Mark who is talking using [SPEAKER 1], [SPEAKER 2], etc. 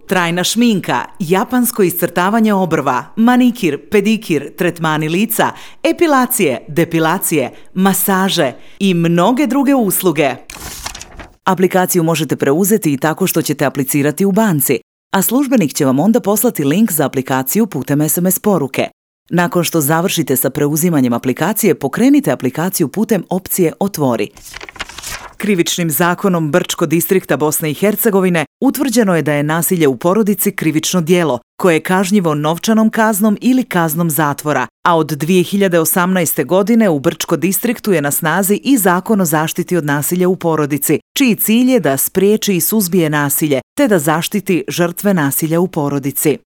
[SPEAKER 1] Trajna šminka, japansko iscrtavanje obrva, manikir, pedikir, tretmani lica, epilacije, depilacije, masaže i mnoge druge usluge. Aplikaciju možete preuzeti i tako što ćete aplicirati u banci, a službenik će vam onda poslati link za aplikaciju putem SMS poruke. Nakon što završite sa preuzimanjem aplikacije, pokrenite aplikaciju putem opcije Otvori. Krivičnim zakonom Brčko distrikta Bosne i Hercegovine utvrđeno je da je nasilje u porodici krivično djelo, koje je kažnjivo novčanom kaznom ili kaznom zatvora, a od 2018. godine u Brčko distriktu je na snazi i Zakon o zaštiti od nasilja u porodici, čiji cilj je da spriječi i suzbije nasilje, te da zaštiti žrtve nasilja u porodici.